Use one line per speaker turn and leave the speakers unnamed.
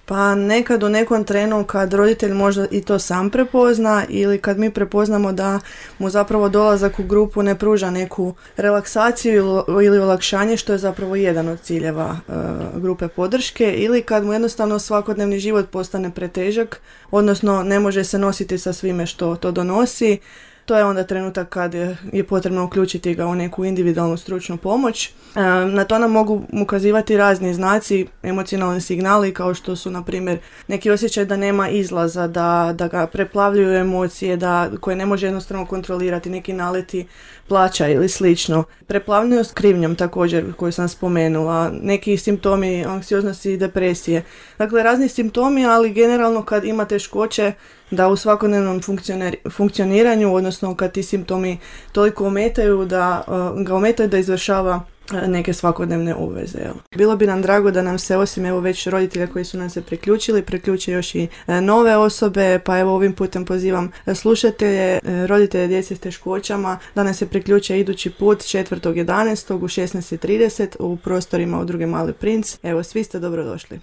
Pa nekad u nekom trenu kad roditelj možda i to sam prepozna ili kad mi prepoznamo da mu zapravo dolazak u grupu ne pruža neku relaksaciju ili olakšanje, što je zapravo jedan od ciljeva grupe podrške, ili kad mu jednostavno svakodnevni život postane pretežak, odnosno ne može se nositi sa svime što to donosi. To je onda trenutak kad je potrebno uključiti ga u neku individualnu stručnu pomoć. Na to nam mogu ukazivati razni znaci, emocionalni signali, kao što su, na primjer, neki osjećaj da nema izlaza, da ga preplavljuju emocije, koje ne može jednostavno kontrolirati, neki naleti plaća ili slično. Preplavljenost krivnjom također, koju sam spomenula, neki simptomi anksioznosti i depresije. Dakle, razni simptomi, ali generalno kad ima teškoće da u svakodnevnom funkcioniranju, odnosno kad ti simptomi toliko ometaju da ga ometaju da izvršava neke svakodnevne obveze. Bilo bi nam drago da nam se, osim već roditelja koji su nam se priključe još i nove osobe, pa ovim putem pozivam slušatelje, roditelje djece s teškoćama da nam se priključe idući put 4.11. u 16.30 u prostorima Udruge Mali princ. Svi ste dobrodošli.